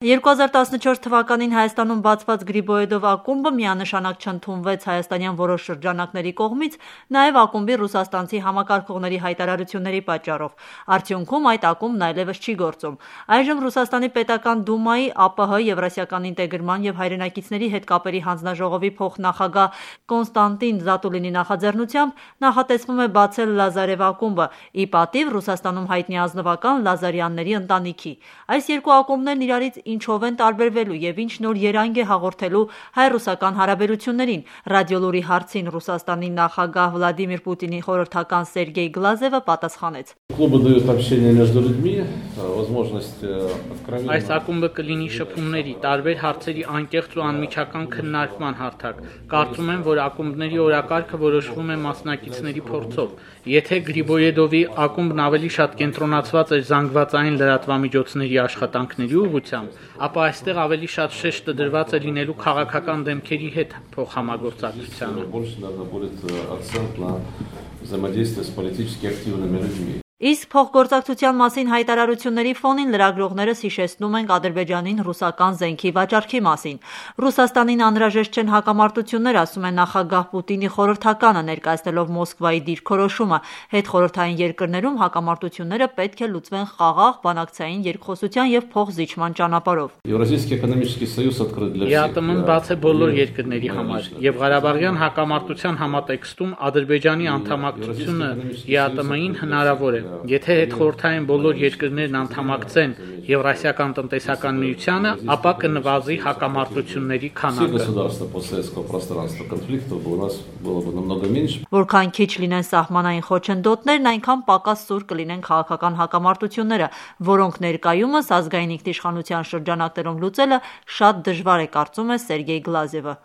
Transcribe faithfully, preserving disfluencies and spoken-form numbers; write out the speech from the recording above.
երկու հազար տասնչորս թվականին Հայաստանում բացված Գրիբոեդով ակումբը միանշանակ չընդունվեց հայաստանյան որոշ շրջանակների կողմից, նաև ակումբի ռուսաստանցի համակարգողների հայտարարությունների պատճառով։ Արդյունքում այդ ակումբն այլևս չի գործում։ Այժմ Ռուսաստանի պետական դումայի ԱՊՀ Եվրասիական ինտեգրման և հայրենակիցների հետ կապերի հանձնաժողովի փոխնախագահ Կոնստանտին Զատուլինի նախաձեռնությամբ նախատեսվում է բացել Լազարև ակումբը՝ ի պատիվ Ռուսաստանում հայտնի ազնվական Լազարյանների ընտանիքի։ Այս երկու ակումբներն իրարից ինչով են տարբերվելու և ինչ նոր երանգ է հաղորդելու հայ-ռուսական հարաբերություններին։ Ռադիոլուրի հարցին Ռուսաստանի նախագահ Վլադիմիր Պուտինի խորհրդական Սերգեյ Գլազևը պատասխանեց. Այս ակումբը կլինի շփումների, տարբեր հարցերի անկեղծ ու անմիջական քննարկման հարթակ։ Կարծում եմ, որ ակումբների օրակարգը որոշվում է մասնակիցների փորձով։ Եթե Գրիբոեդովի ակումբն ավելի շատ կենտրոնացված էր զանգվածային լրատվամիջոցների աշխատանքների ուղղությամբ, ապա այստեղ ավելի շատ շեշտը դրված է լինելու քաղաքական դեմքերի հետ փոխհամագործակցությանը։ Իսկ փոխգործակցության մասին հայտարարությունների ֆոնին լրագրողներս հիշեցնում ենք Ադրբեջանին ռուսական զենքի վաճառքի մասին։ Ռուսաստանին անհրաժեշտ չեն հակամարտություններ, ասում է նախագահ Պուտինի խորհրդականը, ներկայացնելով Մոսկվայի դիրքորոշումը։ Հետխորհրդային երկրներում հակամարտությունները պետք է լուծվեն խաղաղ, բանակցային երկխոսության և փոխզիջման ճանապարհով։ ԵԱՏՄ-ն բաց է բոլոր երկրների համար, և Ղարաբաղյան հակամարտության համատեքստում Ադրբեջանի անդամակցությունը ԵԱՏՄ-ին հնարավոր է։ Եթե հետխորհրդային բոլոր երկրներն անդամակցեն Եվրասիական տնտեսական միությանը, ապա կնվազի հակամարտությունների քանակը։ Որքան քիչ լինեն սահմանային խոչընդոտներն, այնքան պակաս սուր կլինեն քաղաքական հակամարտությունները, որոնք ներկայումս ազգային ինքնիշխանության շրջանակներում լուծելը շատ դժվար է, կարծում է Սերգեյ Գլազևը։